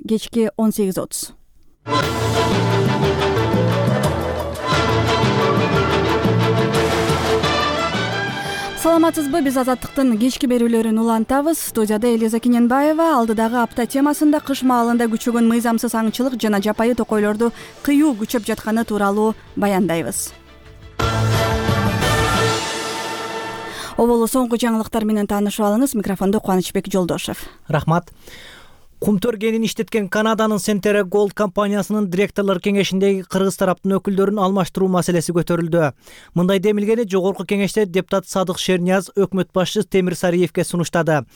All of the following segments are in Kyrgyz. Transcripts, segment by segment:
Кечки 18:30. Саламатсызбы, биз Азаттыктын кечки берүүлөрүн улантабыз. Студияда Элиза Кененбаева. Алдыдагы апта темасында кыш маалында күчөгөн мыйзамсыз аңчылык жана жапайы токойлорду кыюу күчөп жатканы тууралуу баяндайбыз. Оболу соңку жаңылыктар менен таанышып алыңыз. Микрофондо Кубанычбек Жолдошев. Рахмат. Кумтөр кенин иштеткен Канаданын Centera Gold компаниясынын директорлор кеңешиндеги кыргыз тараптын өкүлдөрүн алмаштыруу маселеси көтөрүлдү. Мындай демилгени жогорку кеңеште депутат Садык Шернияз өкмөт башчысы Темир Сариевке сунуштады.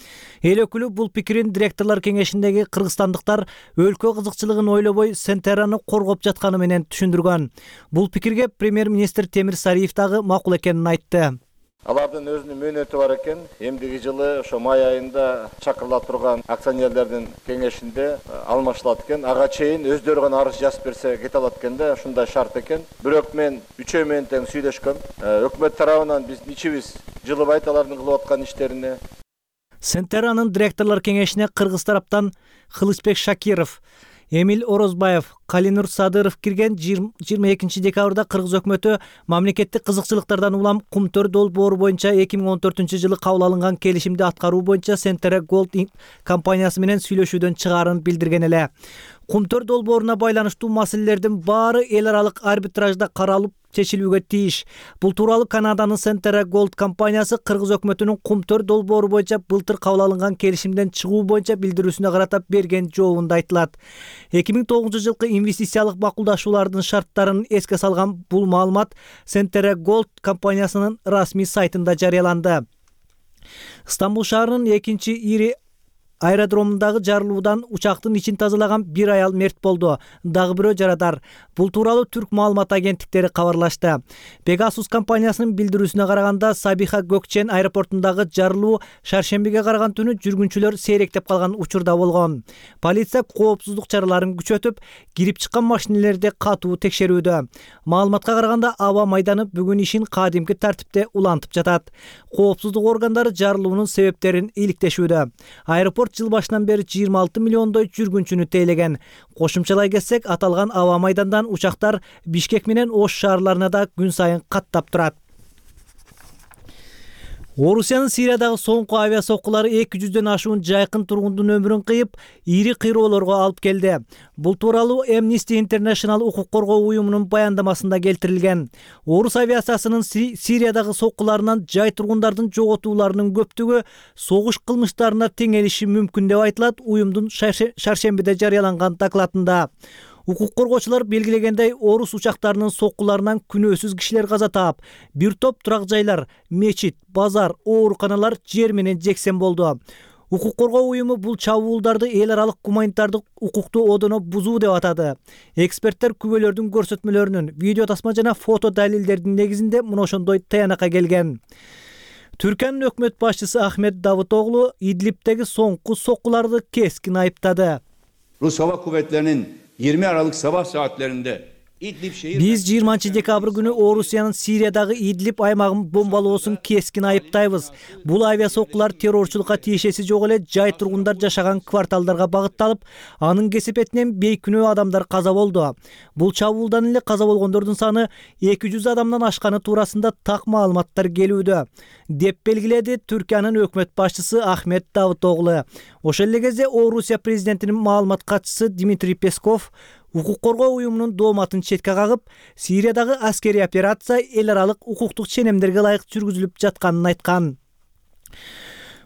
Эл өкүлү бул пикирин директорлор кеңешиндеги кыргызстандыктар өлкө кызыкчылыгын ойлобой Centerаны коргоп жатканы менен түшүндүргөн. Бул пикирге премьер-министр Темир Сариев дагы макул экенин айтты. Алардын өзүнүн мөөнөтү бар экен. Эмдиги жылы ошо май айында чакырыла турган акционерлердин кеңешинде алмаштылат экен. Ага чейин өздөрү гана арыз жазып берсе кете алат экен да, ушундай шарт экен. Бирок мен үчөө менен тең сүйлөшкөм. Өкмөт тарабынан биздин ичибиз жылыбайт алардын кылып аткан иштерине. Centerанын директорлор кеңешине кыргыз тараптан Кылычбек Шакиров, Эмил Орозбаев, Калинур Садыров кирген. 22 декабрда кыргыз өкмөтү мамлекеттик кызыкчылыктардан улам Кумтөр долбоору боюнча 2014 жылы кабыл алынган келишимди аткаруу боюнча Centera Gold компаниясы менен сүйлөшүүдөн чыгаарын билдирген эле. Кумтөр долбооруна байланыштуу маселелердин баары эл аралык арбитражда каралып чечилүүгө тийиш. Бул тууралуу Канаданын Centera Gold компаниясы кыргыз өкмөтүнүн Кумтөр долбоору боюнча былтыр кабыл алынган келишимден чыгуу боюнча билдирүүсүнө карата берген жообунда айтылат. 2009 жылкы инвестициялык макулдашуулардын шарттарын эске салган бул маалымат Centera Gold компаниясынын расмий сайтында жарыяланды. Стамбул шаарынын экинчи ири аэродромундагы жарылуудан учактын ичин тазалаган бир аял мерт болду. Дагы бирөө жарадар. Бул тууралуу түрк маалымат агенттиктери кабарлашты. Pegasus компаниясынын билдирүүсүнө караганда Сабиха Gökçen аэропортундагы жарылуу шаршембиге караган түнү жүргүнчүлөр сейректеп калган учурда болгон. Полиция коопсуздук чараларын күчөтүп, кирип чыккан машинелерди катуу текшерүүдө. Маалыматка караганда аба майданы бүгүн ишин кадимки тартипте улантып жатат. Коопсуздук органдары жарылуунун себептерин иликтешүүдө. Аэропорт жыл башынан бери 26 миллиондой жүргүнчүнү тейлеген. Кошумчалай кетсек, аталган аба майдандан учактар Бишкек менен Ош шаарларына да күн сайын каттап турат. Орусиянын Сириядагы соңку авиа соккулары 200дөн ашуун жайкын тургундун өмүрүн кыйып, ири кыйроолорго алып келди. Бул тууралуу Amnesty International укук коргоо уюмунун баяндамасында келтирилген. Орус авиациясынын Сириядагы соккуларынан жай тургундардын жоготууларынын көптүгү согуш кылмыштарына теңелиши мүмкүн деп айтылат уюмдун шаршембиде жарыяланган докладында. Укук коргоочулар белгилегендей, орус учактарынын соккуларынан күнөөсүз кишилер каза таап, бир топ турак жайлар, мечит, базар, ооруканалар жер менен жексен болду. Укук коргоо уюму бул чабуулдарды эл аралык гуманитардык укукту одоно бузуу деп атады. Эксперттер күбөлөрдүн көрсөтмөлөрүнүн, видео тасма жана фото далилдердин негизинде мына ошондой таянакка келген. Түркиянын өкмөт башчысы Ахмет Давутоглу Идлибтеги соңку соккуларды кескин айыптады. Rus Hava Kuvvetleri'nin 20 Aralık sabah saatlerinde Биз 20 декабрь күнү Орусиянын Сириядагы Идлиб аймагын бомбалоосун кескин айыптайбыз. Бул авиасоккулар террорчулукка тиешеси жок эле жай тургундар жашаган кварталдарга багытталып, анын кесепетинен бейкүнөө адамдар каза болду. Бул чабуулдан эле каза болгондордун саны 200 адамдан ашканы туурасында так маалыматтар келүүдө, деп белгиледи Түркиянын өкмөт башчысы Ахмет Давутоглу. Ошол эле кезде Орусия президентинин маалымат катчысы Дмитрий Песков укук коргоо уюмунун дооматын четке кагып, Сириядагы аскерий операция эл аралык укуктук ченемдерге ылайык жүргүзүлүп жатканын айткан.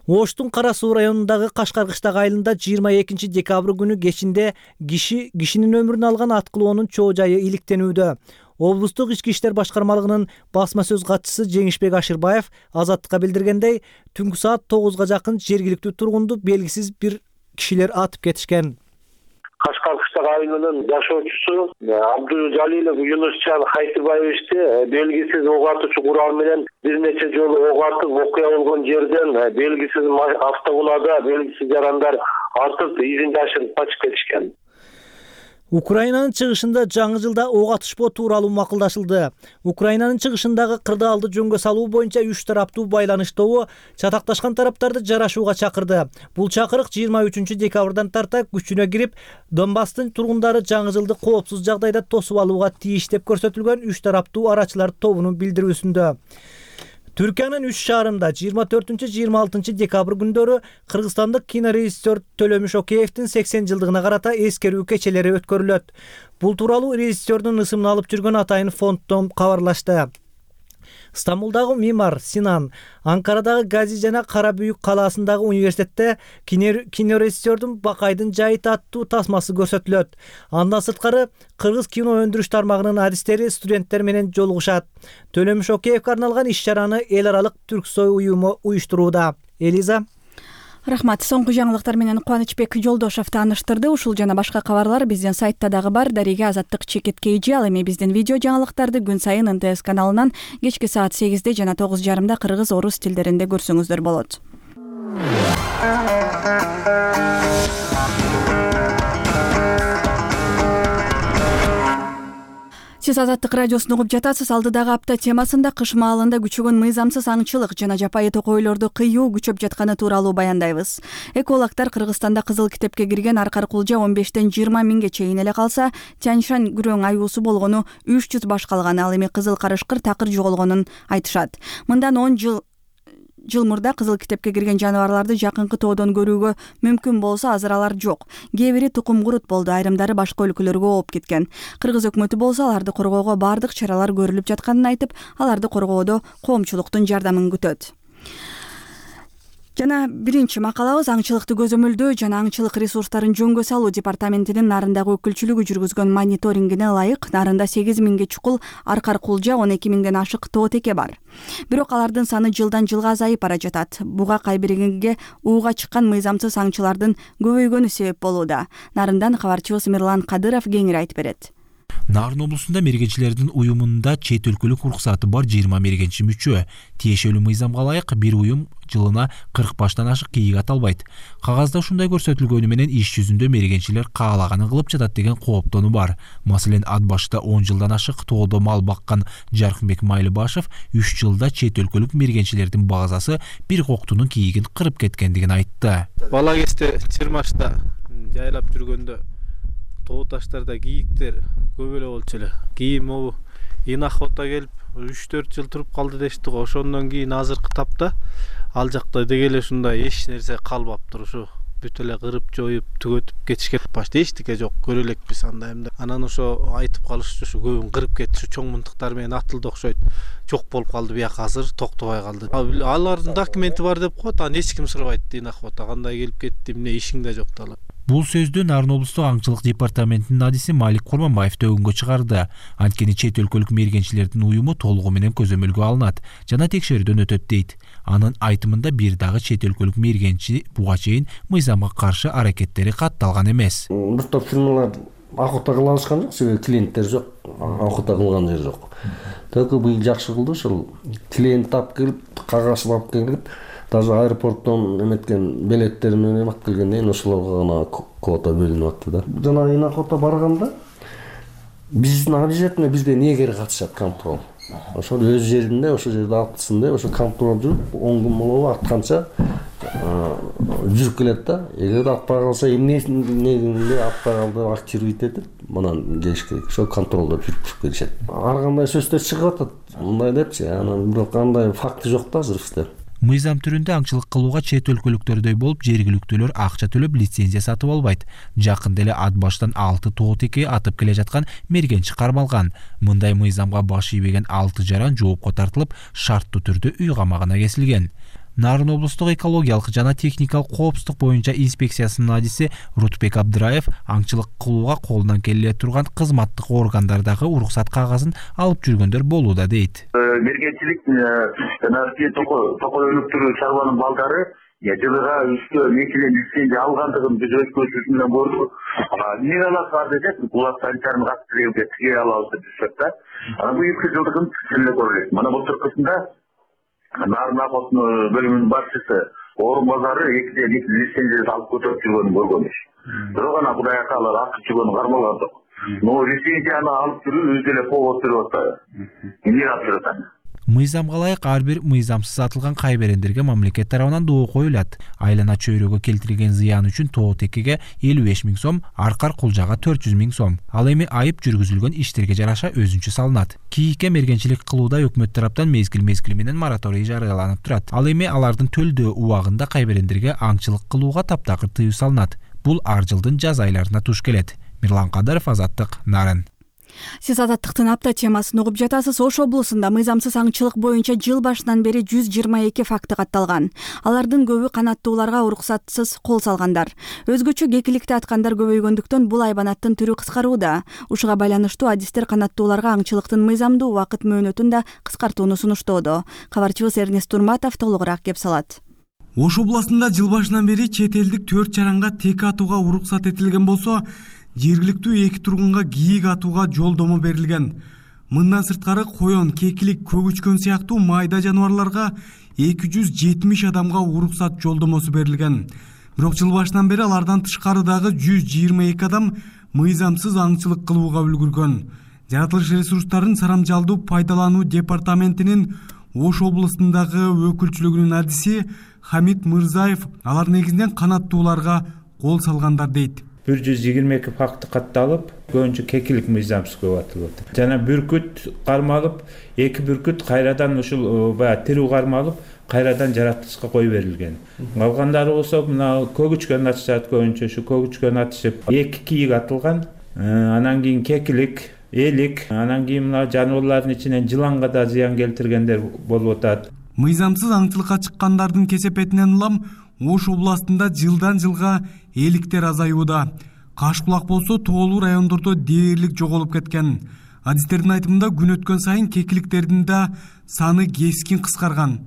Оштун Кара Суу районундагы Кашкаркыштагы айылында 22 декабрь күнү кечинде кишинин өмүрүн алган аткылоонун чоо жайы иликтенүүдө. Облустук ички иштер башкармалыгынын басма сөз катчысы Жеңишбек Ашырбаев Азаттыкка билдиргендей, түнкү саат 9га жакын жергиликтүү тургунду белгисиз бир кишилер атып кетишкен. Кашкаркыштагы айылынын жашоочусу Абдужалилов Юнусчан Хайтыбаевичти белгисиз ок атуучу курал менен бир нече жолу ок атып окуя болгон жерден белгисиз автоунаада белгисиз жарандар атып изин жашырып качып кетишкен. Украинанын чыгышында жаңы жылда ок атышпоо тууралуу макулдашылды. Украинанын чыгышындагы кырдаалды жөнгө салуу боюнча 3 тараптуу байланыштоо чатакташкан тараптарды жарашууга чакырды. Бул чакырык 23 декабрдан тарта күчүнө кирип, Донбасстын тургундары жаңы жылды коопсуз жагдайда тосуп алууга тийиш деп көрсөтүлгөн 3 тараптуу арачылар тобунун билдирүүсүндө. Түркиянын 3 шаарында 24-26 декабрь күндөрү кыргызстандык кинорежиссер Төлөмүш Океевдин 80 жылдыгына карата эскерүү кечелери өткөрүлөт. Бул тууралуу режиссердун ысымын алып жүргөн атайын фонддон кабарлашты. Стамбулдагы Мимар Синан, Анкарадагы Гази жана Кара Бүйүк калаасындагы университетте кинорежиссердун Бакайдын жайыты аттуу тасмасы көрсөтүлөт. Андан сырткары кыргыз кино өндүрүш тармагынын адистери студенттер менен жолугушат. Төлөмүш Океевге арналган иш-чараны эл аралык Түрксой уюму уюштурууда. Элиза. Рахмат. Соңку жаңылыктар менен Кубанычбек Жолдошов тааныштырды. Ушул жана башка кабарлар биздин сайтта дагы бар. Дарига Азаттык Чекиткейжи. Ал эми биздин видео жаңылыктарды күн сайын НТС каналынан кечки саат 8 жана 9:30 кыргыз, орус тилдеринде көрсөңүздөр болот. Сиз Азаттык радиосун угуп жатасыз. Алдыдагы апта темасында кыш маалында күчөгөн мыйзамсыз аңчылык жана жапайы токойлорду кыюу күчөп жатканы тууралуу баяндайбыз. Экологдор Кыргызстанда кызыл китепке кирген аркар кулжа 15-тен 20 миңге чейин эле калса, Тяньшань күрөң аюусу болгону 300 баш калган. Ал эми кызыл карышкыр такыр жоголгонун айтышат. Мындан 10 жыл мурда кызыл китепке кирген жаныбарларды жакынкы тоодон көрүүгө мүмкүн болсо, азыр алар жок. Кээ бири тукум курут болду, айрымдары башка өлкөлөргө ооп кеткен. Кыргыз өкмөтү болсо аларды коргоого бардык чаралар көрүлүп жатканын айтып, аларды коргоодо коомчулуктун жардамын күтөт. Жана биринчи макалабыз аңчылыкты көзөмөлдөө жана аңчылык ресурстарын жөнгө салуу департаментинин Нарындагы өкүлчүлүгү жүргүзгөн мониторингине ылайык Нарында 8 миңге чукул аркар кулжа, 12 миңден ашык тоотеке бар. Бирок алардын саны жылдан жылга азайып бара жатат. Буга кайбиринге ууга чыккан мыйзамсыз аңчылардын көбөйгөнү себеп болууда. Нарындан кабарчыбыз Мирлан Кадыров кеңири айтып берет. Нарын облусунда мергенчилердин уюмунда чет өлкөлүк уруксаты бар 20 мергенчи мүчө. Тиешелүү мыйзамга ылайык бир уюм жылына 40 баштан ашык кийик ата албайт. Кагазда ушундай көрсөтүлгөнү менен иш жүзүндө мергенчилер каалаганын кылып жатат деген кооптонуу бар. Маселен, ат башта 10 жылдан ашык тоодо мал баккан Жаркынбек Майлыбашев 3 жылда чет өлкөлүк мергенчилердин базасы бир коктунун кийигин кырып кеткендигин айтты. Бала кезде Чырмашта жайлап жүргөндө тоо таштарда кийиктер көп эле болчу эле. Кийин могу охота келип 3-4 жыл туруп калды дешти го. Ошондон кийин азыркы тапта ал жакта деги эле ушундай эч нерсе калбаптыр. Ушу бүт эле кырып жоюп түгөтүп кетишкен. Башта эчтеке жок, көрө элекпиз анда эмне. Анан ошо айтып калышчу, ушу көбүн кырып кетти, чоң мынтыктар менен атылды окшойт. Жок болуп калды, бияка азыр токтобой калды. Алардын документи бар деп коет, аны эч ким сурабайт дейт охота. Кандай келип кетти, эмне ишиң да жок дала. Бул сөздү Нарын облустук аңчылык департаментинин адиси Малик Курманбаев төгүнгө чыгарды. Анткени чет өлкөлүк мергенчилердин уюму толугу менен көзөмөлгө алынат жана текшерүүдөн өтөт дейт. Анын айтымында бир дагы чет өлкөлүк мергенчи буга чейин мыйзамга каршы аракеттери катталган эмес. Бир топ фирмалар охота кыла алышкан жок, себеби клиенттер жок, охота кылган жер жок. Только быйыл жакшы кылды, ошол клиент тап келип, кагаз алып келип, даже аэропорттон эметкен билеттер менен алып келгенден кийин ошолорго гана квота бөлүнүп атты да. Жана охота барганда биздин обязательно бизде негер катышат, контроль. Ошол өз жеринде, ошол жерде алтысын деп, ошо контроль жүрүп, 10 күн болобу атканча жүрүп келет да. Эгер атпай калса, эмнесинде атпай калды, активировать этип, манан келиш керек. Ошо контролдо жүрүп келишет. Ар кандай сөздөр чыгып атат, мындай депчи, анан бирок андай факты жок да азыр бизде. Мыйзам түрүндө аңчылык кылууга чет өлкөлүктөрдөй болуп, жергиликтүүлөр акча төлөп лицензия сатып албайт. Жакында эле ат баштан 6 тоотеке атып келе жаткан мергенчи кармалган. Мындай мыйзамга баш ийбеген 6 жаран жоопко тартылып, шарттуу түрдө үй камагына кесилген. Нарын облустук экологиялык жана техникалык коопсуздук боюнча инспекциясынын адиси Рутбек Абдыраев аңчылык кылууга колунан келе турган кызматтык органдардагы уруксат кагазын алып жүргөндөр болууда дейт. Мергенчилик жана токойлуктуу чарбанын балдары жылыга үстө мекилен лицензия алгандыгын биз өз көзүбүз менен көрдүк. Эмне алат десек, булар санитарын каттырып тиге алабыз деп да. Анан бул 2 жылдыгын эле көрөлүк. Мана былтыркысында Нарын охотунун бөлүмүнүн башчысы орун базары 2 лицензия алып көтөрүп жүргөнүн көргөнбүз. Бирок ана Кудайга алар акча жүргөнүн кармалган жок. Но лицензияны алып жүрүү өзү эле повод берип атат. Эмне алып жүрөт аны? Мыйзамга ылайык ар бир мыйзамсыз сатылган кайберендерге мамлекет тарабынан доо коюлат. Айлана чөйрөгө келтирилген зыян үчүн ТОО-ТКге 55 000 сом, аркар кулжага 400 000 сом. Ал эми айып жүргүзүлгөн иштерге жараша өзүнчө салынат. КИИКке мергенчилик кылууда өкмөт тараптан мезгил менен мораторий жарыяланып турат. Ал эми алардын төлдөө убагында кайберендерге аңчылык кылууга таптакыр тыюу салынат. Бул ар жылдын жаз айларына туш келет. Мирлан Кадыров, Азаттык, Нарын. Сиз Азаттыктын апта темасын угуп жатасыз. Ош облусунда мыйзамсыз аңчылык боюнча жыл башынан бери 122 факты катталган. Алардын көбү канаттууларга уруксатсыз кол салгандар. Өзгөчө кекиликти аткандар көбөйгөндүктөн бул айбанаттын түрү кыскарууда. Ушуга байланыштуу адистер канаттууларга аңчылыктын мыйзамдуу убакыт мөөнөтүн да кыскартууну сунуштоодо. Кабарчыбыз Эрнест Турматов толугураак кеп салат. Ош областында жыл башынан бери чет элдик 4 чаранга тек атууга уруксат этилген болсо, жергиликтүү 2 тургунга кийик атууга жолдомо берилген. Мындан сырткары коён, кекилик, көгүчкөн сыяктуу майда жаныбарларга 270 адамга уруксат жолдомосу берилген. Бирок жыл башынан бери алардан тышкары дагы 122 адам мыйзамсыз аңчылык кылууга үлгүргөн. Жаратылыш ресурстарын сарамжалдуу пайдалануу департаментинин Ош облусундагы өкүлчүлүгүнүн адиси Хамит Мырзаев алар негизинен канаттууларга кол салгандар дейт. 122 факты катталып, көбүнчө кекилик мыйзамсыз көп атылып атат. Жана бүркүт кармалып, 2 бүркүт кайрадан ушул баягы тирүү кармалып, кайрадан жаратылышка кой берилген. Калгандары болсо мына көгүчкөн атышат, көбүнчө ушу көгүчкөн атышып, 2 кийик атылган. Анан кийин кекилик, элик, анан кийин мына жаныбарлардын ичинен жыланга да зыян келтиргендер болуп атат. Мыйзамсыз аңчылыкка чыккандардын кесепетинен улам Ош областында жылдан жылга эликтер азаюуда. Кашкулак болсо тоолуу райондордо дээрлик жоголуп кеткен. Адистердин айтымында күн өткөн сайын кекиликтердин да саны кескин кыскарган.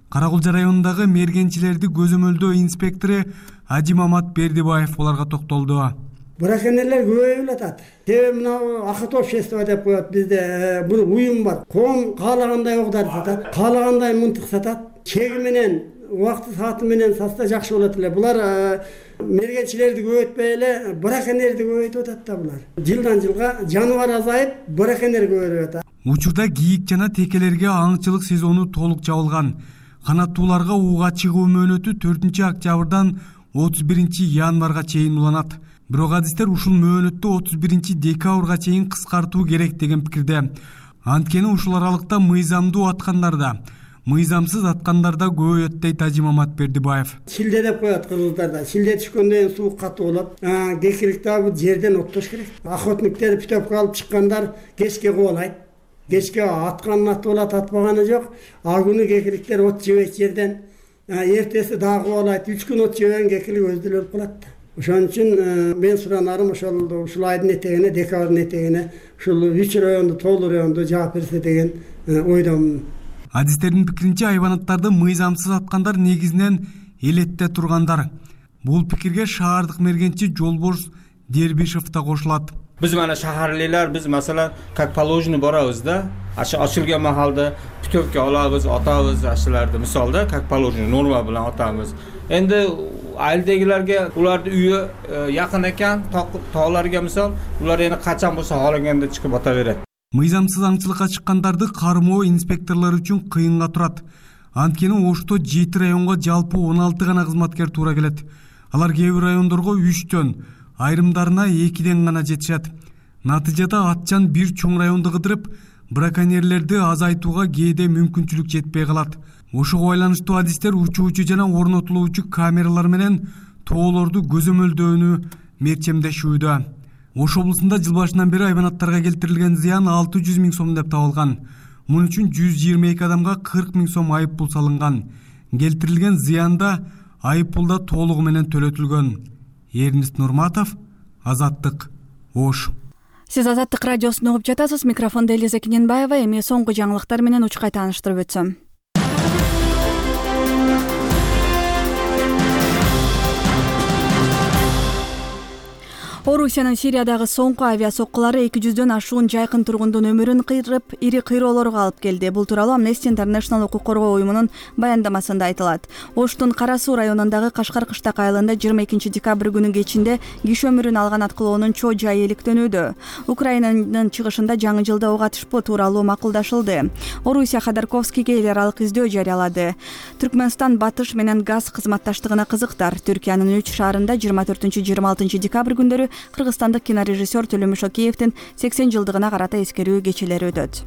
Каракулжа районундагы мергенчилерди көзөмөлдөө инспектору Ажимамат Бердибаев буларга токтолду. Браконьерлер көбөйүп атат. Себеби мына акыт общество деп коет бизде бир уюм бар. Коом каалагандай огдар сатат, каалагандай мынтык сатат. Чеги менен, убакыты сааты менен сатса жакшы болот эле. Булар мергенчилерди көбөйтпөй эле браконьерди көбөйтүп атат да булар. Жылдан жылга жаныбар азайып, браконьер көбөйүп атат. Учурда кийик жана текелерге аңчылык сезону толук жабылган. Канаттууларга ууга чыгуу мөөнөтү 4-октябрдан 31-январга чейин уланат. Бирок адистер ушул мөөнөттү 31-декабрга чейин кыскартуу керек деген пикирде. Анткени ушул аралыкта мыйзамдуу аткандарда, мыйзамсыз аткандарда көбөйөт дейт Ажимамат Бердибаев. Шилде деп коет кыргыздарда. Шилде түшкөндөн кийин суу катуу болот. Кекилик дагы жерден оттош керек. Охотниктер питөпкө алып чыккандар кечке кубалайт. Кечке атканын атып алат, атпаганы жок. А күнү кекиликтер от жебейт жерден. Эртеси дагы кубалайт. 3 күн от жебеген кекилик өзү өлүп калат. Ошон үчүн мен суранарым ушул айдын этегине, декабрдын этегине ушул 3 районду, тоолуу районду жаап берсе деген ойдомун. Адистердин пикиринче айбанаттарды мыйзамсыз аткандар негизинен элетте тургандар. Бул пикирге шаардык мергенчи Жолборс Дербишев да кошулат. Биз мана шаһарлыйлар, биз маселен как положено барабыз да, ачылган махалда питөпкө алабыз, атабыз ашыларды, мисалда как положено норма менен атабыз. Энди айылдагилерге улардын үйү жакын экен, тааларга мисал, улар эми качан болсо каалаганда чыгып ата берет. Мыйзамсыз аңчылыкка чыккандарды кармоо инспекторлор үчүн кыйынга турат. Анткени Ошто 7 районго жалпы 16 гана кызматкер туура келет. Алар кээ бир райондорго 3төн, айрымдарына 2ден гана жетишет. Натыйжада атчан бир чоң районду кыдырып, браконьерлерди азайтууга кээде мүмкүнчүлүк жетпей калат. Ошого байланыштуу адистер учуучу жана орнотулуучу камералар менен тоолорду көзөмөлдөөнү мерчемдешүүдө. Ош облусунда жыл башынан бери айбанаттарга келтирилген зыян 600 000 сом деп табылган. Мун үчүн 122 адамга 40 000 сом айып пул салынган. Келтирилген зыянда айып пул да толугу менен төлөтүлгөн. Эрнест Нурматов, Азаттык, Ош. Сиз Азаттык радиосун угуп жатасыз. Микрофондо Элиза Киненбаева. Эми соңку жаңылыктар менен учкай тааныштырып өтсөм. Орусиянын Сириядагы соңку авиа соккулары 200дөн ашуун жайкын тургундун өмүрүн кыйрып, ири кыйроолорго алып келди. Бул тууралуу Amnesty International укук коргоо уюмунун баяндамасында айтылат. Оштун Кара Суу районундагы Кашкар кыштак айылында 22 декабрь күнү кечинде киши өмүрүн алган аткылоонун чоо жайы иликтөнүүдө. Украинанын чыгышында жаңы жылда ок атышпоо тууралуу макулдашылды. Орусия Ходорковскийге эл аралык издөө жарыялады. Түркмөнстан батыш менен газ кызматташтыгына кызыктар. Түркиянын 3 шаарында 24-26 декабрь күндөрү кыргызстандык кинорежиссер Төлөмүш Океевдин 80 жылдыгына карата эскерүү кечелери өтөт.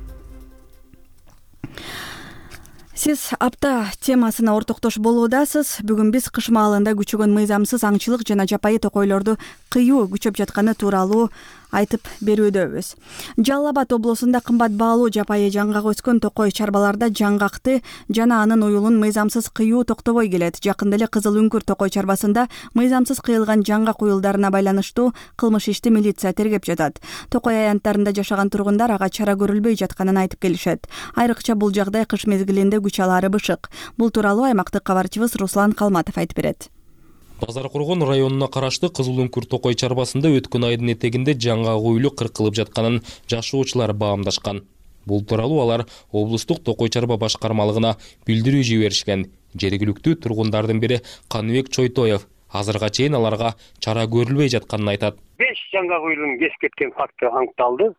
Сиз апта темасына ортоктош болуудасыз. Бүгүн биз кыш маалында күчөгөн мыйзамсыз аңчылык жана жапайы токойлорду кыюу күчөп жатканы тууралуу айтып берүүдөбүз. Жалал Абад облусунда кымбат баалуу жапайы жаңгак өскөн токой чарбаларда жаңгакты жана анын уюлун мыйзамсыз кыюу токтобой келет. Жакында эле Кызыл Үңкүр токой чарбасында мыйзамсыз кыйылган жаңгак уюлдарына байланыштуу кылмыш ишти милиция тергеп жатат. Токой аянттарында жашаган тургундар ага чара көрүлбөй жатканын айтып келишет. Айрыкча бул жагдай кыш мезгилинде күч алары бышык. Бул тууралуу аймактык кабарчыбыз Руслан Калматов айтып берет. Базар Коргон районуна караштуу Кызыл Үңкүр токой чарбасында өткөн айдын этегинде жаңгак уюлу кыркылып жатканын жашоочулар баамдашкан. Бул тууралуу алар облустук токой чарба башкармалыгына билдирүү жиберишкен. Жергиликтүү тургундардын бири Каныбек Чойтоев азырга чейин аларга чара көрүлбөй жатканын айтат. 5 жаңгак уюлун кесип кеткен факты аныкталды.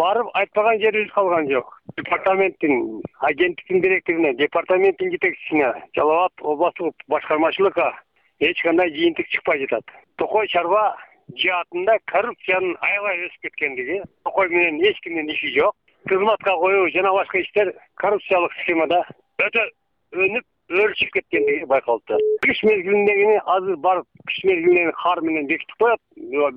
Барып айтпаган жерибиз калган жок. Департаменттин агенттиктин директоруна, департаменттин жетекчисине, Жалал Абад облустук башкармачылыкка эч кандай жыйынтык чыкпай жатат. Токой чарба жаатында коррупциянын аябай өсүп кеткендиги, токой менен эч кимдин иши жок. Кызматка коюу жана башка иштер коррупциялык схемада өтө өнүп өрчүп кеткендиги байкалды. Кыш мезгилиндегини азыр барып кыш мезгилиндеги кар менен бекитип коет.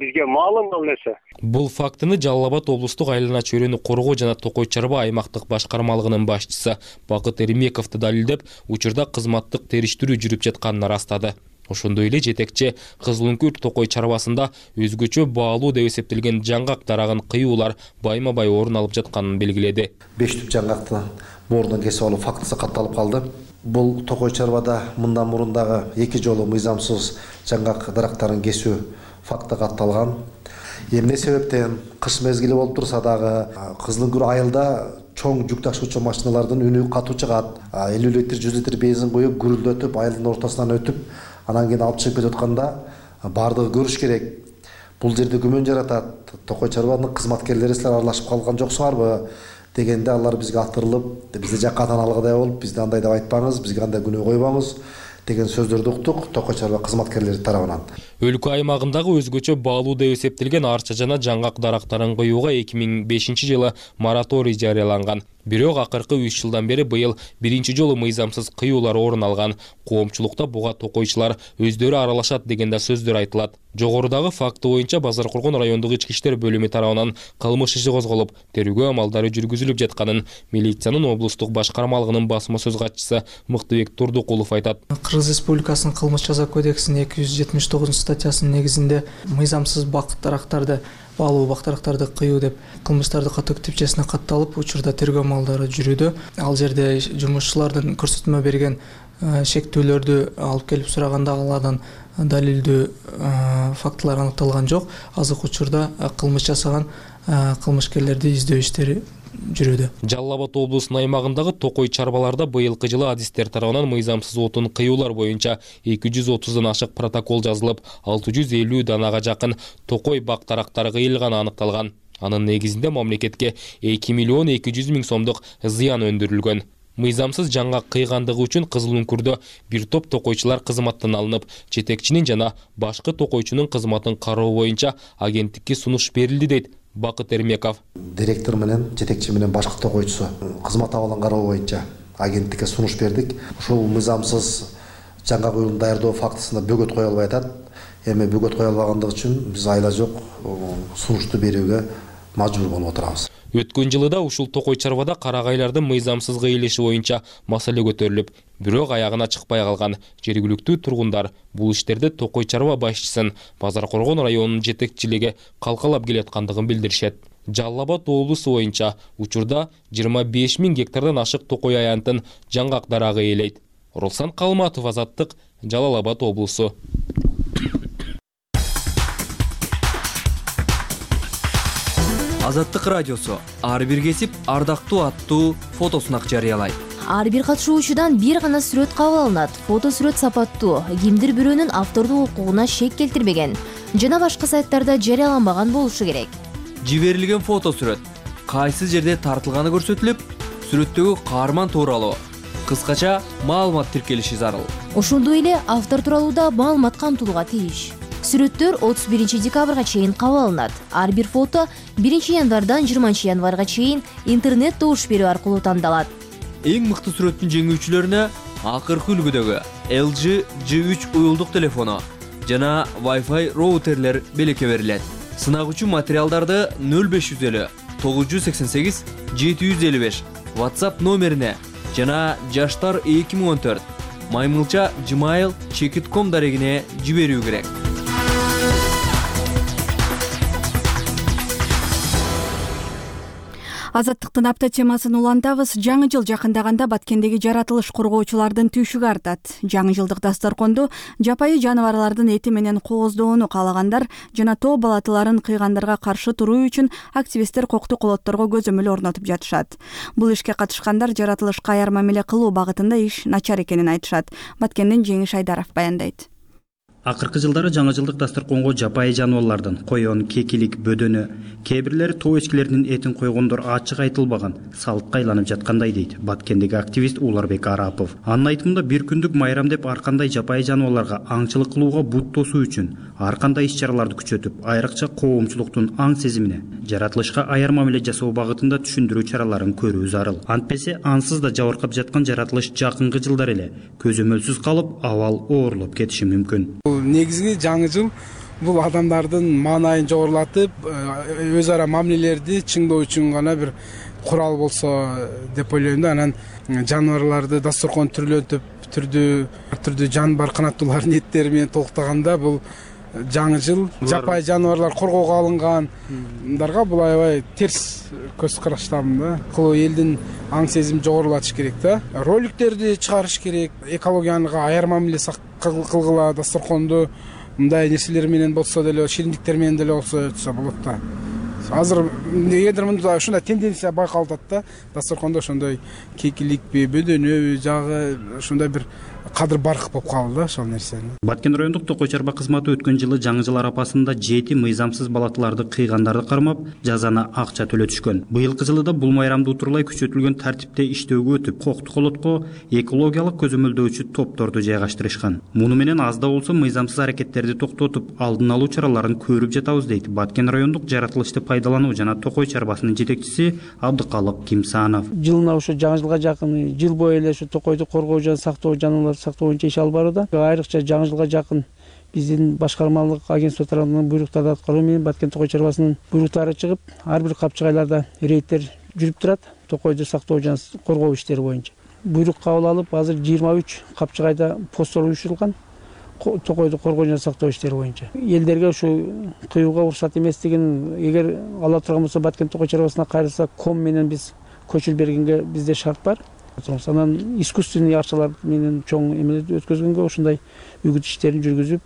Бизге маалым ал нерсе. Бул фактыны Жалал Абад облустук айлана чөйрөнү коргоо жана токой чарба аймактык башкармалыгынын башчысы Бакыт Эримеков далилдеп, учурда кызматтык териштирүү жүрүп жатканын ырастады. Ошондой эле жетекчи Кызыл Үңкүр токой чарбасында өзгөчө баалуу деп эсептелген жаңгак дарагын кыюулар байма-бай орун алып жатканын белгиледи. 5 түп жаңгакты боордон кесип алуу фактысы катталып калды. Бул токой чарбада мындан мурун дагы 2 жолу мыйзамсыз жаңгак дарактарын кесүү факты катталган. Эмне себептен кыш мезгили болуп турса дагы Кызыл Үңкүр айылда чоң жүк ташуучу машиналардын үнү катуу чыгат. 50 литр, 100 литр бензин коюп, гүрүлдөтүп, айылдын ортосунан өтүп, анан кийин алып чыгып кетип атканда бардыгы көрүш керек. Бул жерде күмөн жаратат. Токой чарбанын кызматкерлери силер аралашып калган жоксуңарбы дегенде алар бизге аттырылып, бизде жаккатан алгыдай болуп, бизде андай деп айтпаңыз, бизге андай күнөө койбоңуз деген сөздөрдү уктук токой чарба кызматкерлери тарабынан. Өлкө аймагындагы өзгөчө баалуу деп эсептелген арча жана жаңгак дарактарын коюуга 2005 жылы мораторий жарыяланган. Бирок акыркы 3 жылдан бери быйыл биринчи жолу мыйзамсыз кыюулар орун алган. Коомчулукта буга токойчулар өздөрү аралашат деген да сөздөр айтылат. Жогорудагы факты боюнча Базар Коргон райондук ички иштер бөлүмү тарабынан кылмыш иши козголуп, тергөө амалдары жүргүзүлүп жатканын милициянын облустук башкармалыгынын басма сөз катчысы Мыктыбек Турдукулов айтат. Кыргыз Республикасынын кылмыш жаза кодексинин 279 статьясынын негизинде мыйзамсыз бак дарактарды баалуу бак дарактарды кыюу деп кылмыштарды катуу типчесине катталып, учурда тергөө амалдары жүрүүдө. Ал жерде жумушчулардын көрсөтмө берген шектүүлөрдү алып келип сураганда алардан далилдүү фактылар аныкталган жок. Азыркы учурда кылмыш жасаган кылмышкерлерди издөө иштери жүрүүдө. Жалал Абад облусунун аймагындагы токой чарбаларда быйылкы жылы адистер тарабынан мыйзамсыз отун кыюулар боюнча 230дан ашык протокол жазылып, 650 данага жакын токой бак дарактары кыйылганы аныкталган. Анын негизинде мамлекетке 2 миллион 200 миң сомдук зыян өндүрүлгөн. Мыйзамсыз жаңгак кыйгандыгы үчүн Кызыл Үңкүрдө бир топ токойчулар кызматтан алынып, жетекчинин жана башкы токойчунун кызматын кароо боюнча агенттикке сунуш берилди дейт Бакыт Эримеков. Директор менен жетекчи менен башкы токойчусу кызмат абалын кароо боюнча агенттикке сунуш бердик. Ушул мыйзамсыз жаңгак уюлун даярдоо фактысында бөгөт кое албай атат. Эми бөгөт кое албагандыгы үчүн биз айла жок сунушту берүүгө мажбур болуп отурабыз. Өткөн жылы да ушул токой чарбада карагайлардын мыйзамсыз кыйылышы боюнча маселе көтөрүлүп, бирок аягына чыкпай калган. Жергиликтүү тургундар бул иштерде токой чарба башчысын Базар Коргон районунун жетекчилиги калкалап келаткандыгын билдиришет. Жалал Абад облусу боюнча учурда 25 миң гектардан ашык токой аянтын жаңгак дарагы ээлейт. Руслан Калматов, Азаттык, Жалал Абад облусу. Азаттык радиосу ар бир кесип ардактуу аттуу фотосунак жарыялайт. Ар бир катышуучудан бир гана сүрөт кабыл алынат. Фото сүрөт сапаттуу, кимдир бирөөнүн автордук укугуна шек келтирбеген жана башка сайттарда жарыяланбаган болушу керек. Жиберилген фото сүрөт кайсы жерде тартылганы көрсөтүлүп, сүрөттөгү каарман тууралуу кыскача маалымат тиркелиши зарыл. Ошондой эле автор тууралуу да маалымат камтылууга тийиш. Сүрөттөр 31 декабрга чейин кабыл алынат. Ар бир фото 1 январдан 20 январга чейин интернет добуш берүү аркылуу тандалат. Эң мыкты сүрөттүн жеңүүчүлөрүнө акыркы үлгүдөгү LG G3 уюлдук телефону жана Wi-Fi роутерлер белекке берилет. Сынак үчүн материалдарды 0550 988 755 WhatsApp номерине жана жаштар 2014 maymilcha@gmail.com дарегине жиберүү керек. Азаттыктын апта темасын улантабыз. Жаңы жыл жакындаганда Баткендеги жаратылыш коргоочулардын түйшүгү артат. Жаңы жылдык дасторконду жапайы жаныбарлардын эти менен кооздоону каалагандар жана тоо балатыларын кыйгандарга каршы туруу үчүн активисттер кокту колотторго көзөмөл орнотуп жатышат. Бул ишке катышкандар жаратылышка аяр мамиле кылуу багытында иш начар экенин айтышат. Баткенден Жеңиш Айдаров баяндайт. Акыркы жылдары жаңы жылдык дасторконго жапайы жаныбарлардын койон, кекилик, бөдөнү, кээ бирлери тоо эчкилеринин этин койгондор ачык айтылбаган салтка айланып жаткандай дейт Баткендеги активист Уларбек Арапов. Анын айтымында бир күндүк майрам деп ар кандай жапайы жаныбарларга аңчылык кылууга бут тосуу үчүн ар кандай иш-чараларды күчөтүп, айрыкча коомчулуктун аң сезимине, жаратылышка аяр мамиле жасоо багытында түшүндүрүү чараларын көрүү зарыл. Антпесе ансыз да жабыркап жаткан жаратылыш жакынкы жылдар эле көзөмөлсүз калып, абал оорлоп кетиши мүмкүн. Негизги жаңы жыл бул адамдардын маанайын жогорулатып, өз ара мамилелерди чыңдоо үчүн гана бир курал болсо деп ойлойм да. Анан жаныбарларды дасторкон түрлөнтүп, түрдүү жан бар канаттуулардын эттери менен толуктаганда бул жаңы жыл жапайы жаныбарлар коргоого алынгандарга бул аябай терс көз караштамын да. Кылуу элдин аң сезим жогорулатыш керек да. Роликтерди чыгарыш керек, экологияга аяр мамиле кылгыла, дасторконду мындай нерселер менен болсо деле, шириндиктер менен деле болсо өтсө болот да. Азыр эгер мында ушундай тенденция байкалып атат да, дасторкондо ошондой кекиликпи, бөдөнөбү жагы ошондой бир кадыр барк болуп калды да ошол нерсе. Баткен райондук токой чарба кызматы өткөн жылы жаңы жыл арапасында 7 мыйзамсыз балатыларды кыйгандарды кармап, жазаны акча төлөтүшкөн. Быйылкы жылы да бул майрамды утурлай күчөтүлгөн тартипте иштөөгө өтүп, кокту колотко экологиялык көзөмөлдөөчү топторду жайгаштырышкан. Муну менен аз да болсо мыйзамсыз аракеттерди токтотуп, алдын алуу чараларын көрүп жатабыз дейт Баткен райондук жаратылышты пайдалануу жана токой чарбасынын жетекчиси Абдыкалык Кимсанов. Жылына ошо жаңы жылга жакын жыл бою эле ошо токойду коргоо жана сактоо жаныбарларды сактоо боюнча иш алып барууда. Айрыкча жаңы жылга жакын биздин башкармалык агентство тарабынан буйруктарды аткаруу менен Баткен токой чарбасынын буйруктары чыгып, ар бир капчыгайларда рейдтер жүрүп турат токойду сактоо жана коргоо иштери боюнча. Буйрук кабыл алып, азыр 23 капчыгайда посттор уюштурулган токойду коргоо жана сактоо иштери боюнча. Элдерге ушу кыюуга уруксат эместигин эгер ала турган болсо Баткен токой чарбасына кайрылса ком менен биз көчүл бергенге бизде шарт бар. Анан искусственный арчалар менен чоң эмелерди өткөзгөнгө ушундай үгүт иштерин жүргүзүп,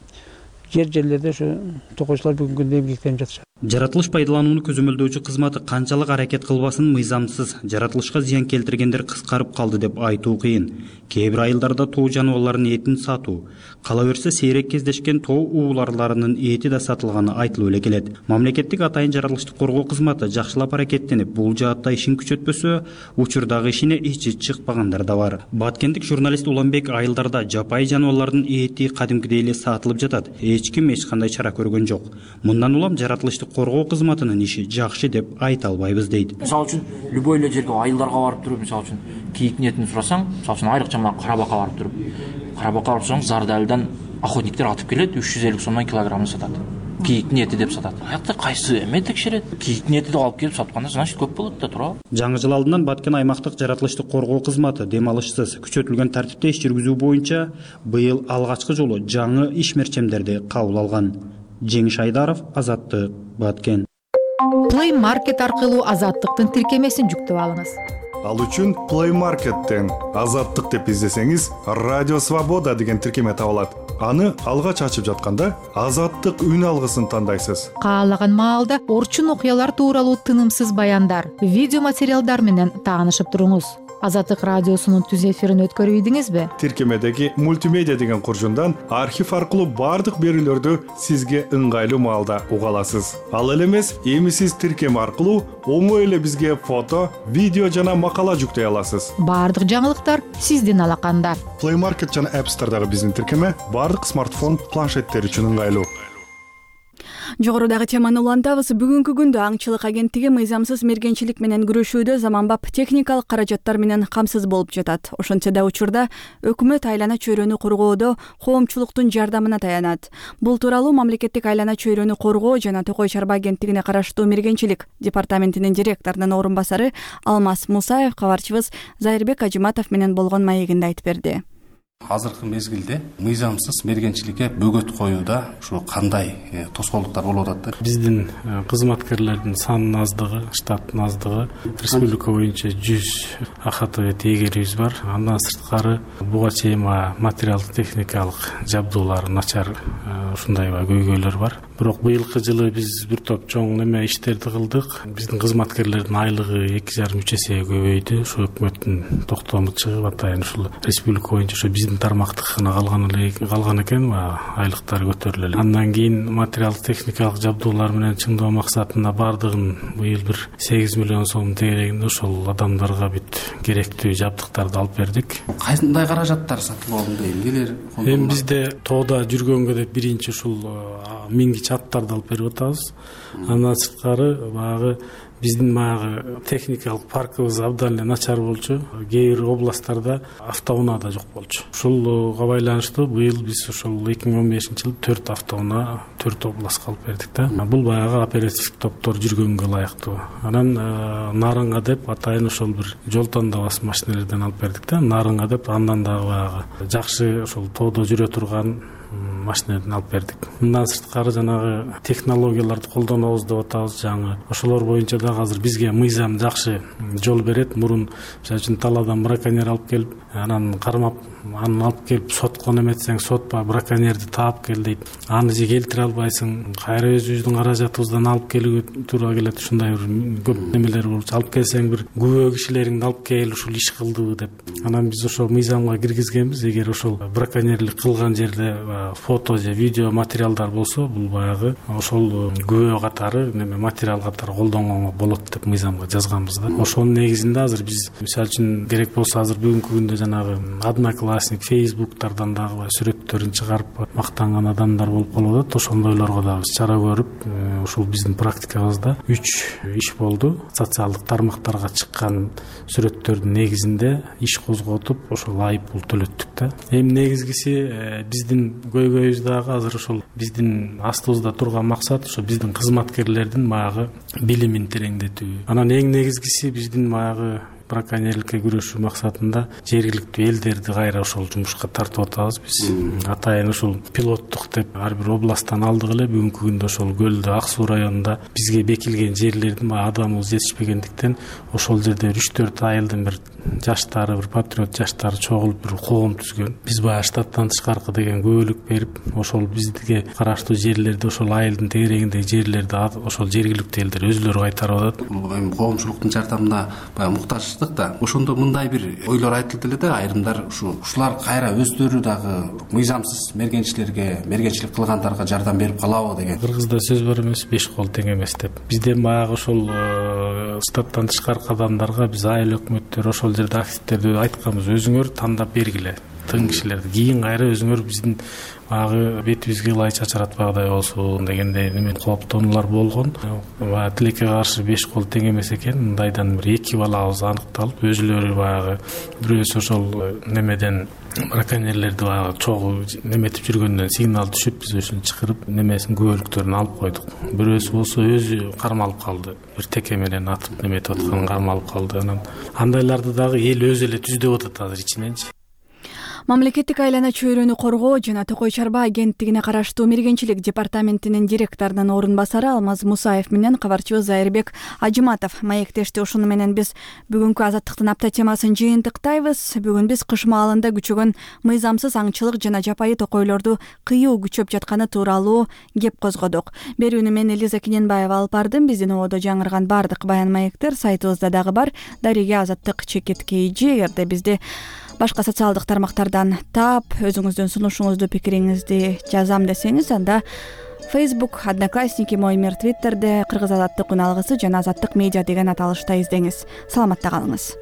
жерлерде ошо токойчулар бүгүнкү күндө эмгектенип жатышат. Жаратылыш пайдаланууну көзөмөлдөөчү кызматы канчалык аракет кылбасын мыйзамсыз жаратылышка зыян келтиргендер кыскарып калды деп айтуу кыйын. Кээ бир айылдарда тоо жаныбарларынын этин сатуу, кала берсе сейрек кездешкен тоо ууларларынын эти да сатылганы айтылып эле келет. Мамлекеттик атайын жаратылышты коргоо кызматы жакшылап аракеттенип, бул жаатта ишин күчөтпөсө, учурдагы ишине ичи чыкпагандар да бар. Баткендик журналист Уланбек айылдарда жапайы жаныбарлардын эти кадимкидей эле сатылып жатат. Эч ким эч кандай чара көргөн жок. Мындан улам жаратылышты коргоо кызматынын иши жакшы деп айта албайбыз дейт. Мисалы үчүн любой эле жерге айылдарга барып туруп, мисалы үчүн кийиктин этин сурасаң, мисалы үчүн айрыкча мына Карабакка барып туруп, Карабакка барып сурасаң, Зардалдан охотниктер атып келет, 350 сомдон килограммын сатат. Кийиктин эти деп сатат. Аякта кайсы эме текшерет? Кийиктин эти деп алып келип сатканда, значит көп болот да туура. Жаңы жыл алдынан Баткен аймактык жаратылышты коргоо кызматы демалышсыз күчөтүлгөн тартипте иш жүргүзүү боюнча быйыл алгачкы жолу жаңы ишмерчемдерди кабыл алган. Жеңиш Айдаров, Азаттык, Баткен. Play Market аркылуу Азаттыктын тиркемесин жүктөп алыңыз. Ал үчүн Play Market'тен Азаттык деп издесеңиз, Радио Свобода деген тиркеме табылат. аны алгач ачып жатканда Азаттык үн алгысын тандайсыз. Каалаган маалда орчун окуялар тууралуу тынымсыз баяндар, видео материалдар менен таанышып туруңуз. Азаттык радиосунун түз эфирин өткөрүп ийдиңизби? Тиркемедеги мультимедиа деген куржундан архив аркылуу бардык берүүлөрдү сизге ыңгайлуу маалда уга аласыз. Ал эле эмес, эми сиз тиркеме аркылуу оңой эле бизге фото, видео жана макала жүктөй аласыз. Бардык жаңылыктар сиздин алаканда. Play Market жана App Store'дагы биздин тиркеме бардык смартфон, планшеттер үчүн ыңгайлуу. Жогорудагы теманы улантабыз. Бүгүнкү күндө аңчылык агенттиги мыйзамсыз мергенчилик менен күрөшүүдө заманбап техникалык каражаттар менен камсыз болуп жатат. Ошентсе да учурда өкмөт айлана чөйрөнү коргоодо коомчулуктун жардамына таянат. Бул тууралуу мамлекеттик айлана чөйрөнү коргоо жана Токой Чарба агенттигине караштуу мергенчилик департаментинин директорунун орун басары Алмаз Мусаев кабарчыбыз Зайырбек Ажиматов менен болгон маегинде айтып берди. Азыркы мезгилде мыйзамсыз мергенчиликке бөгөт коюуда ушу кандай тоскоолдуктар болуп атат? Биздин кызматкерлердин санынын аздыгы, штаттын аздыгы, республика боюнча 100 АХТ теегерибиз бар. Андан сырткары буга чейин материалдык техникалык жабдуулар начар ушундай көйгөйлөр бар. Бирок быйылкы жылы биз бир топ чоң неме иштерди кылдык. Биздин кызматкерлердин айлыгы 2,5 эсеге көбөйдү. Ушу өкмөттүн токтому чыгып атайын ушул республика боюнча ушу биздин тармактык гана калган экен, айлыктары көтөрүлө. Андан кийин материалдык техникалык жабдуулар менен чыңдоо максатында бардыгын быйыл бир 8 миллион сом тегерегинде ошол адамдарга бүт керектүү жабдыктарды алып бердик. Кандай каражаттар сатып алынды, эмнелер? Эми бизде тоодо жүргөнгө деп биринчи ушул мингич аттарды алып берип атабыз. Андан сырткары баягы биздин техникалык паркыбыз абдан эле начар болчу. Кээ бир областтарда автоунаа да жок болчу. Ушулга байланыштуу быйыл биз ошол 2015-жылы 4 автоунаа 4 областка алып бердик да. Бул баягы оперативдик топтор жүргөнгө ылайыктуу. Анан Нарынга деп атайын ошол бир жол тандабас машиналерден алып бердик да. Нарынга деп андан да баягы жакшы ошол тоодо жүрө турган машиналерден алып бердик. Мындан сырткары жанагы технологияларды колдонобуз деп атабыз. Жаңы ошолор боюнча да азыр бизге мыйзам жакшы жол берет. Мурун мисалы үчүн талаадан браконьер алып келип, анан кармап, аны алып келип сотко неметсең, сотпа браконьерди таап кел дейт. Аны же келтире албайсың. Кайра өзүбүздүн каражатыбыздан алып келүүгө туура келет. Ушундай бир көп немелер болчу. Алып келсең бир күбө кишилериңди алып кел, ушул иш кылдыбы деп. Анан биз ошол мыйзамга киргизгенбиз. Эгер ошол браконьерлик кылган жерде фото же видео материалдар болсо, бул баягы ошол күбө катары неме материал катары колдонгонго болот деп мыйзамга жазганбыз да. Ошонун негизинде азыр биз мисалы үчүн керек болсо азыр бүгүнкү күндө жанагы Одноклассник, Фейсбуктардан дагы сүрөттөрүн чыгарып мактанган адамдар болуп калып атат. Ошондойлорго дагы биз чара көрүп, ушул биздин практикабызда 3 иш болду. Социалдык тармактарга чыккан сүрөттөрдүн негизинде иш козготуп, ошол айыппул төлөттүк да. Эми негизгиси биздин көйгөйүбүз дагы азыр ошол биздин астыбызда турган максат ошо биздин кызматкерлердин баягы билимин тереңдетүү. Анан эң негизгиси биздин баягы браконьерликке күрөшүү максатында жергиликтүү элдерди кайра ошол жумушка тартып атабыз биз. Атайын ушул пилоттук деп ар бир областтан алдык эле бүгүнкү күндө ошол Көлдө, Ак Суу районунда бизге бекилген жерлердин адамыбыз жетишпегендиктен ошол жерде 3-4 айылдын бир жаштары, бир патриот жаштары чогулуп бир коом түзгөн. Биз баягы штаттан тышкаркы деген күбөлүк берип, ошол бизге караштуу жерлерди, ошол айылдын тегерегиндеги жерлерди ошол жергиликтүү элдер өзүлөрү кайтарып атат. Эми коомчулуктун жардамына баягы муктаж да. Ошондо мындай бир ойлор айтылды эле да, айрымдар ушулар кайра өздөрү дагы мыйзамсыз мергенчилик кылгандарга жардам берип калабы деген. Кыргызда сөз бар эмес, 5 кол тең эмес деп. Бизден баягы ошол штаттан тышкаркы адамдарга биз айыл өкмөттөр ошол жерде активдерди айтканбыз, өзүңөр тандап бергиле тың кишилерди. Кийин кайра өзүңөр биздин баягы бетибизге ылай чачыратпагыдай болсун дегендей неме кооптонуулар болгон. Тилекке каршы 5 кол тең эмес экен. Мындайдан бир 2 балабыз аныкталып, өзүлөрү баягы бирөөсү ошол немеден браконьерлерди баягы чогуу неметип жүргөндөн сигнал түшүп, биз ошону чакырып немесин күбөлүктөрүн алып койдук. Бирөөсү болсо өзү кармалып калды. Бир теке менен атып неметип атканын кармалып калды. Анан андайларды дагы эл өзү эле түздөп атат азыр ичиненчи. Мамлекеттик айлана чөйрөнү коргоо жана Токой Чарба агенттигине караштуу мергенчилик департаментинин директорунун орун басары Алмаз Мусаев менен кабарчыбыз Айырбек Ажыматов маектешти. Ушуну менен биз бүгүнкү Азаттыктын апта темасын жыйынтыктайбыз. Бүгүн биз кыш маалында күчөгөн мыйзамсыз аңчылык жана жапайы токойлорду кыюу күчөп жатканы тууралуу кеп козгодук. Берүүнү мен Элиза Киненбаева алып бардым. Биздин ободо жаңырган баардык баян маектер сайтыбызда дагы бар. Дариге Азаттык чекит KG. Эгерде бизди башка социалдык тармактардан таап, өзүңүздүн сунушуңузду, пикириңизди жазам десеңиз, анда Facebook, Одноклассники, Мой мир Twitterде Кыргыз Азаттык күн алгысы жана Азаттык медиа деген аталышта издеңиз. Саламатта калыңыз.